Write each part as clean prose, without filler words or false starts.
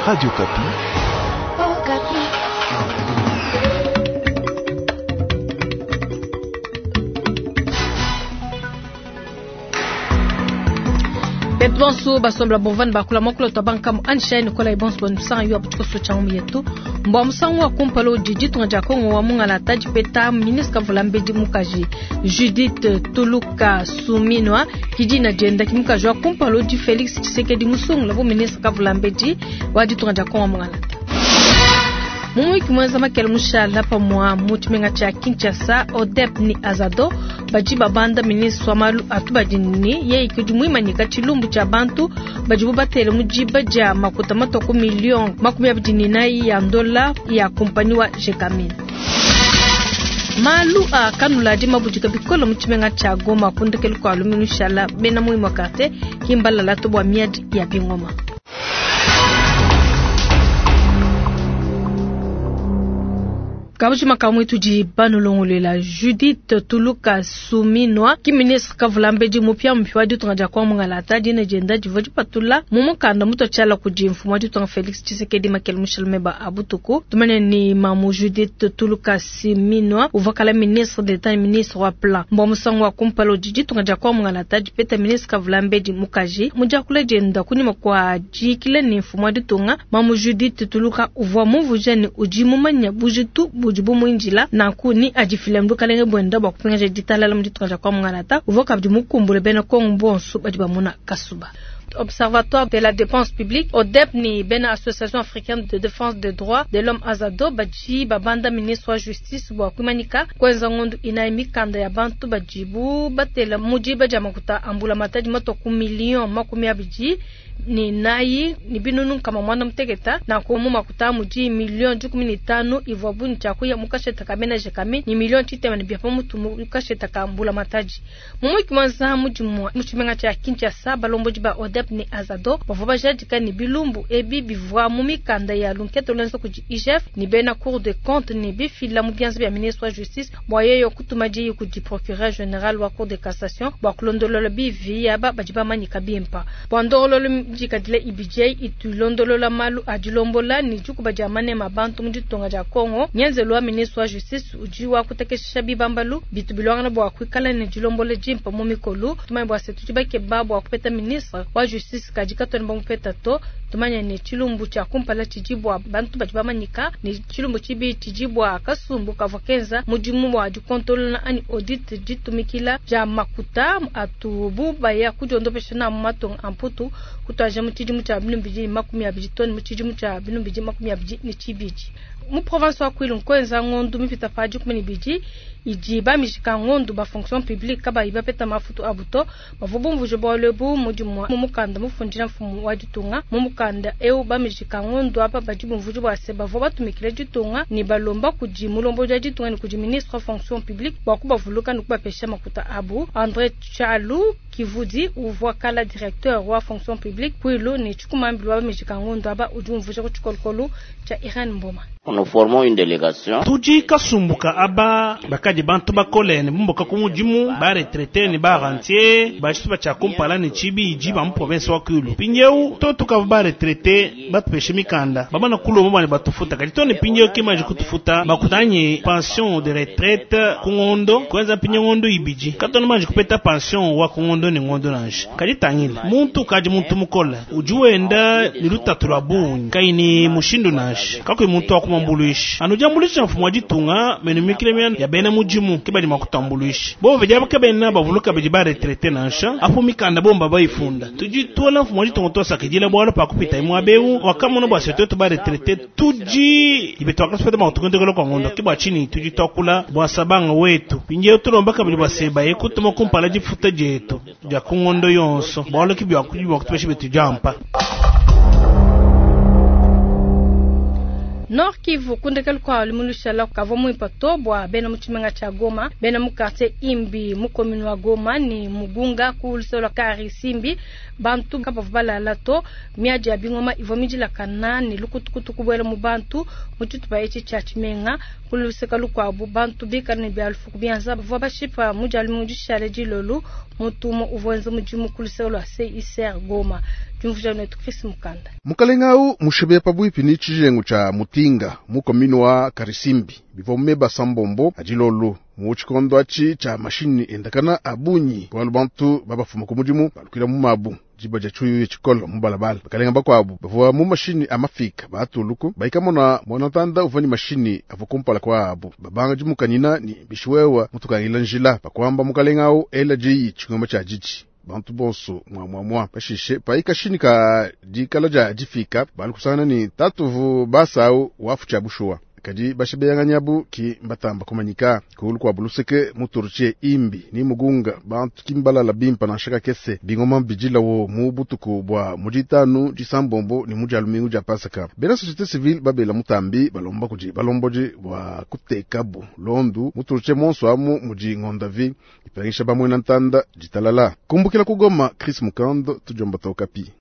Radio Okapi. Okapi. Betu bonso basombela bovani bakula mokolo twa bankamu anishaye nikola ibonso banu yo abuchikoso cha umu yetu mbwa musangu wa kumpala udi ditunga dia Kongo wa mungalata dipeta ministre kavula mbedi mukaji Judith Tuluka Suminwa kidina dienda ki mukaji wa kumpala udi Felix Tshisekedi musungula bu ministre kavula mbedi wa ditunga dia Kongo wa mungalata. Mumuiki mwenza makele mushala pamwa mu tshimenga tshia Kinshasa ODEP ni Azado badi babanda ministre wa malu atubadi ni yeye kudi muimanyika tshilumbu tshia bantu badibu batele mu diba dia makuta matua ku million 24 ya ndola ya kompani wa Gécamines. Malu a kanula di mabudika bikolo mu tshimenga tshia Goma kundekelu kua lumingu shala bena muimua quartier kimbalala to bua miadi ya bingoma. Kabujima kamwe tudi banulongolela Judith Tuluka Suminwa ki ministre kavulambedi mupya mupya wa ditunga dia kwa mungalata dina dienda divua dipatula mu mukanda mutua tshiala kudi mfumu wa ditunga Felix Tshisekedi makele mushalume ba abutuku tumene ni mamu Judith Tuluka Suminwa uvua kala ministre d'Etat ne ministre wa plan mbua musangu wa kumpala udi ditunga dia kwa mungalata dipeta ministre kavulambedi mukaji mu diakula dienda kunyima kua diyikila ne mfumu wa ditunga mamu Judith Tuluka uvua mumvuija ne udi mumanya bujitu budi bumuinjila nanku ni adifila mdukalenge bwenda bua kupingaja ditalala mu ditunga dia kwa mungalata uvua kabidi mukumbule bena Kongo bonso badi bamuna kasuba. Observatoire de la dépense publique ODEP ni bena Association africaine de défense des droits de l'homme Azado badi babanda ministre wa justice bua kuimanyika kuenza ngondu inayi mikanda ya bantu badibu batela mu diba dia makuta ambula matadi matua ku million 24 ni binunu nkama mwana muteketa na ku makuta mudi million 15 ivua buni tshia kuya mukasheta ka bena Gécamines ni million tshitema ne bia pa mutu mukasheta ka mbula matadi. Mumuiki mwanza mudimu mu tshimenga tshia Kinshasa balombodi ba ODEP ni Azado bavua bajadika ni bilumbu ebi bivua mu mikanda ya lunketo lwenza kudi IGF ni bena Cour des comptes ni bifila mu bianza bia ministre wa justice bua yeyo kutuma diyi kudi procureur général wa Cour de cassation bua kulondolola bivi aba badi bamanyika bimpa bua ndongololo dikadila IBJ itulondolola malu a dilombola ni dikuba dia manema bantu mu ditunga dia Kongo ngenzelu wa ministre wa justice udi wa kutekesha bibambalu bitu bilwangana bua kuikala ne dilombola dimpa mu mikolu tumanye bua se tudi bakeba bua kupeta ministre wa justice kadi katwena bamupeta to tumanye ne tshilumbu tshia kumpala tshidi bua bantu badi bamanyika ne tshilumbu tshibi tshidi bua kasumbu kavua kenza mudimu wa dikontolola anyi audit ditumikila dia makuta atubu baya kudiondopesha na mu matunga a mputu kutuaja mu tshidimu tshia 2020 toni mu tshidimu tshia 2022. Mu province wa Kwilu nkuenza ngondu mipita pa 12 idi bamijika ngondu ba fonction publique kabayi bapeta mafutu abu to bavua bumvuje bualu ebu mudimu mu mukanda mufundila mfumu wa ditunga. Mu mukanda eu bamijika ngondu apa badi bumvuje bua se bavua batumikila ditunga ne balomba kudi mulombodi wa ditunga ne kudi ministre wa fonction publique bua kubavuluka ne kubapesha makuta abu. André Chalu Kivudi uvua kala directeur wa fonction publique Kwilu ne tshikumambilu wa bamijika ngondu aba udi umvuja ku tshikolokolo tshia Irene Mboma. Nous formons une délégation. Tudi kasumbuka aba bakadi bantu bakole ne bumbuka ku mudimu ba retraité ne ba rentier ba tshia kumpala ne tshibidi ba mu province wa Kwilu. Mpindieu to tukava ba retraité batupeshe mikanda bamana kulomba bane batufuta kadi to ne mpindieu kimaji kutufuta bakutanye pension de retraite ku ngondo kuenza mpindieu ngondo ibidi katona maji kupeta pension wa ku ngondo ne ngondo nansha kadi tangila muntu kadi muntu mukole udi wenda ni lutatu lwa bungi kaini mushindu nansha kakui muntu wa kumambuluisha anu diambuluisha mfumu wa ditunga menu mikile miana ya bena mudimu ke badi makutambuluisha bo vedia baka bena bavuluka badi ba retraité nansha apo mikanda bomba bayifunda tudi tuola mfumu wa ditunga tosakidila bwalo pa kupita imwa beu wakamona bua setu ba retraité tudi ibe twakasupeta makutukendekelo kwa ngondo ke bua tshini tudi twakula bua sabanga wetu pindieu tulomba kabidi bua seba ye kutuma kumpala difuta dietu dia ku ngondo yonso bwalo ke bua kutupesha betu diampa. Nord Kivu kundekelu kwa limulushala kavua muimpa to bua bena mu tshimenga tshia Goma bena mu quartier Imbi mu commune wa Goma ni Mugunga ku lusolo lua Karisimbi bantu kabavua balala to miadi ya bingoma ivua midilakana ne lukutukutu kubuela mu bantu mu tshitupa etshi tshia tshimenga ku luseka lukuabu bantu bikala ne bia lufuku bianza bavua bashipa mu dia lumingu dishale dilolu mutumo uvua wenza mudimu ku luseke lua CICR Goma. Diumvuija netu Chris Mukanda. Mukalenga au mushibe pabuipi ni tshijengu tsha Mutinga mu commune wa Karisimbi bivua meba sambombo adilolo mu tshikondo atshi tsha mashini endakana abunyi bualu bantu babafuma ku mudimu balukila mu mabu diba dia tshiuyu tshikolo mu balabala. Bakalenga bakuabu bavua mu mashini a mafika batuluku baikamona mwana uvua ni mashini avua kumpala kwabu babanga dimukanyina ni bishiwewa mutukangila njila bakwamba mukalenga au ela diyi tshingoma tsha didi bantu bonso mwa mwa mwa pashishe paikashini ka dikala dia difika balikusangana ni tatuvu basau wafu tsha bushuwa kadi bashibeyanganyabu ki mbatamba kumanyika kulu kwa buluseke muturuche imbi ni mugunga bantu kimbalala bimpa na shaka kese bingoma bijilawo mu butuku bwa mujitanu disambombo ni mujalumingu ja pasaka. Bena société civile babela mutambi balomba kuji balomboji bwa kutekabu londu muturuche monso amu muji ngondavi ipangisha bamwe ntanda jitalala kumbukila kugoma Chris Mukando tujomba tokapi.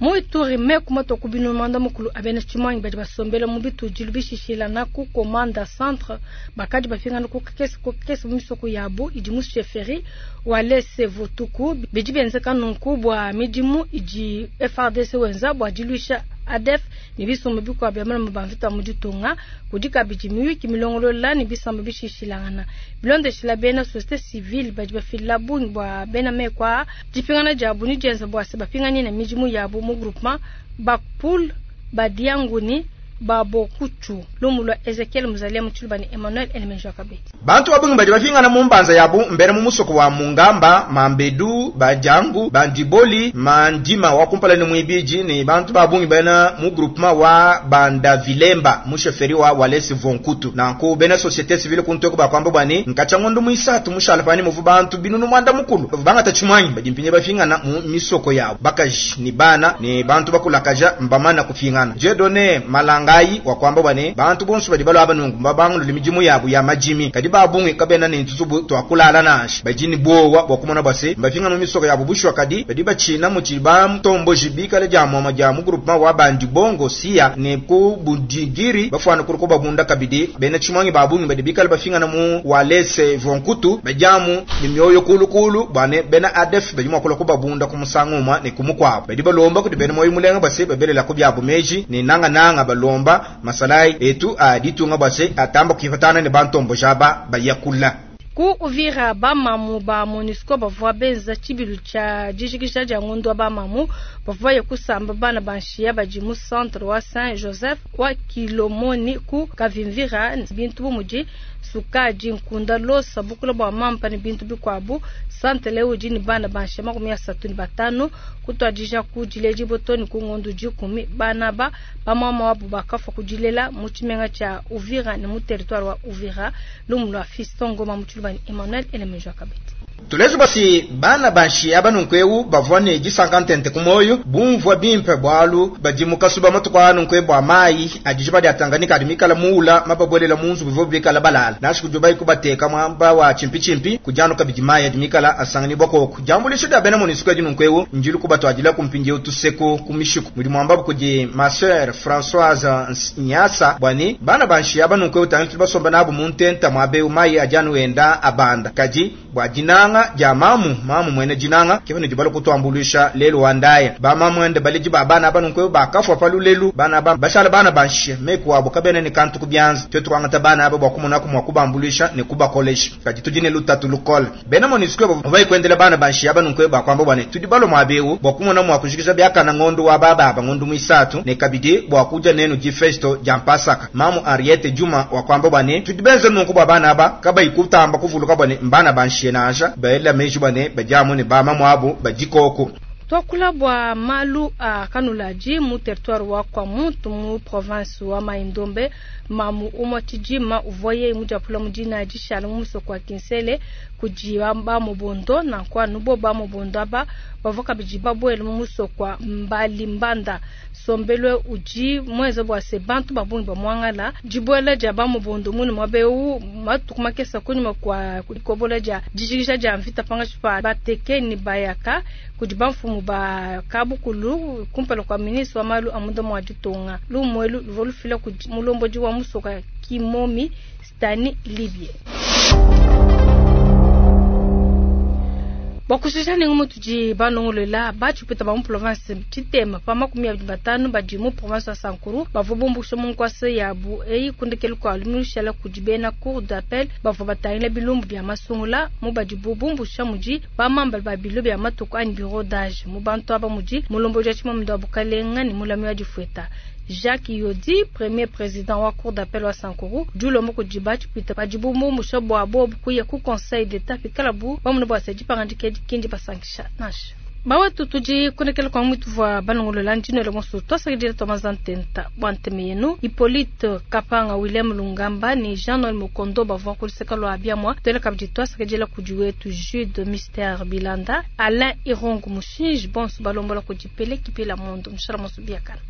Muituri meku matoku bino manda mukulu abena chimwangi badi basombela mu bitudilu bishishilana ku komanda centre bakadi bafingana ku kekese ku kekese mu misoko yabu idi mu chefferie walese votuku bidi benzeka nunku bua midimu idi FARDC wenza bua diluisha ADF ni bisumbu bikuabu bia malama ba mvita mu ditunga kudi kabidi miyuki milongolola ni bisamba bishishilangana bilondeshila bena société civile badi bafila bungi bua bena mekwa dipingana diabu ni dienza bua se bapinganye na midimu yabu mu groupement bakpool badianguni babokuchu lumu lwa Ezekiel Muzalia Mutshilubani Emmanuel Elemenjo Kabeti. Bantu babungi badi bafingana mu mbanza yabu mbere mu musoko wa Mungamba, Mambedu, Bajangu, Bandiboli, Mandima wa kumpala ni mwibiji ni bantu babungi bena mu groupement wa Bandavilemba mu chefferie wa Walesi Vonkutu. Nanku bena société civile kunteko bakwamba bwani nkacha ngondo muisatu mushala pani muvu bantu binunu mwanda mukulu. Bangata chimwanyi badi mpinye bafingana mu misoko yabu. Bakaji ni bana ni bantu bakulakaja mbamana kufingana. Jedone malanga wa kwamba bwane bantu bonso badi balwa abanungu mbabangu limijimu yabu ya majimi kadi babungi kabena ni ntuzubu twakulala nashi bajini bowa bwakumona base mbafinga no misoko yabu bushwa kadi badi bachina mu chiba mtombo jibika le jamu ma jamu groupement wa bandi bongo sia ne ku budigiri bafwana kuruko babunda kabidi bena chimwangi babungi badi bikala bafinga na mu walese vonkutu bajamu ni myoyo kulukulu bwane bena ADF badi mwakola ko babunda kumusanguma ne kumukwabo badi balomba kuti bena moyo mulenga base babelela ko byabu meji ne nanga nanga balomba masalai etu aditunga base atamba kifatana ne bantombo jaba bayakula. Ku Uvira bamamu ba MONUSCO bavua benza tshibilu tsha dijikisha dia ngondo wa bamamu bavua ya kusamba bana banshia badi mu centre wa Saint Joseph wa Kilomoni ku Kavimvira bintu bumudi sukadi nkunda losa bukula bua mampa ne bintu bikuabu. Centre leo udi ne bana banshia 35 kutwadija ku diledi botoni ku ngondo 10 bana ba bamama wabu bakafa kudilela mu tshimenga tsha Uvira ne mu territoire wa Uvira. Lumu lwa Fiston Ngoma Mutshilubani Emmanuel Elemenjo Kabeti. Tulezu basi bana banshi abanunkweu bavua ne disankantente kumoyo bumvua bimpe bwalu badi mukasuba matuku anunkwe bwa mayi adijiba dia Tanganyika adi mikala muula mababwelela munzu bivua bikala balala nashi kujubai kubateka mwamba wa chimpi chimpi kujanu kabidi mayi adi mikala asangani bwakoko jambulisho dia bena MONUSCO adi nunkweu njilu kubatwadila kumpindieu tuseko kumishiku mudi mwamba kudi ma sœur Françoise Nyasa bwani bana banshi abanunkweu tangi basomba nabo muntenta mwabeu mayi ajanu enda abanda kadi bwa dinanga ja mamu mamu mwene jinanga kibone jibalo kutwambulisha lelo wandaye ba mamu ende baliji ba bana banu ba kafwa palulelu bana ba bashala bana banshe meku abo kabene ni kantu kubyanza twetu kwangata bana abo bakumuna kumwa kubambulisha ne kubakolesha kadi tujine lutatu lukole bena MONUSCO bo kwendele bana banshe abanu ba kwamba bwane tudi balo mwabewu bakumuna mwa kujikisha byakana ngondo wa baba ba ngondo muisatu ne kabidi bwa kuja nenu jifesto jampasaka mamu Ariete Juma wa kwamba bwane tudi benze nunku ba bana ba kabai kutamba kuvuluka bwane mbana banshe naja baela meji bane bajamu ne ba mamu abo bajikoko. Twakula bwa malu a kanulaji mu territoire wa kwa muntu mu province wa Maindombe mamu umwa tshijima uvoye mujapula mujina jishala mu musoko wa Kinsele kuji ba mubondo na kwa nubo ba mubondo aba bavoka bijiba bwele mu musoko wa Mbali Mbanda sombelwe uji mweze bwa se bantu babungi ba mwangala jibwela ja ba mubondo munu mwabeu matuku makesa kunyuma kwa kukobola ja jijikisha ja mvita panga chipa bateke ni bayaka kuji bamfumu ba kabukulu kumpala kwa ministre wa malu amuda mwa ditonga lumwelu luvolufila ku mulomboji wa musoka Kimomi Stani Libye. Bua kushisha ne ngumu tudi balongolola, batshipwita ba mu province tshitema pa 25 badi mu province wa Sankuru bavua bumbusha mu nkuasa yabu eyi ku ndekelu kua lumingu lushala kudi bena cour d'appel bavua batangila bilumbu bia masungula. Mu badibu bumbusha mudi ba membre ba bilo bia matuku anyi bureau d'âge. Mu bantu aba mudi mulombodi wa tshimamunda wa bukalenga ne mulami wa difueta. Jacques Yodi, premier président wa cour d'appel wa Sankuru, udi ulomba kudi batshipwita badibu bumbusha bua bobu kuya ku conseil d'etat pikalabu bamona bua se dipangadika edi ki ndibasankisha nansha. Bawetu tudi kunekela kwa mutuvua balongolola ndinwele bonso twasakidila twamaza ntenta bua nteme yenu. Hippolyte Kapanga, William Lungamba ne Jean-Noël Mukondo bavua ku luseke lua biamua. Tuele kabidi twasakidila kudi wetu Jude Mister Bilanda, Alain Irongo Mushinji, bonso balombola kudi Pele Kipela Mondo. Mushala monso biakana.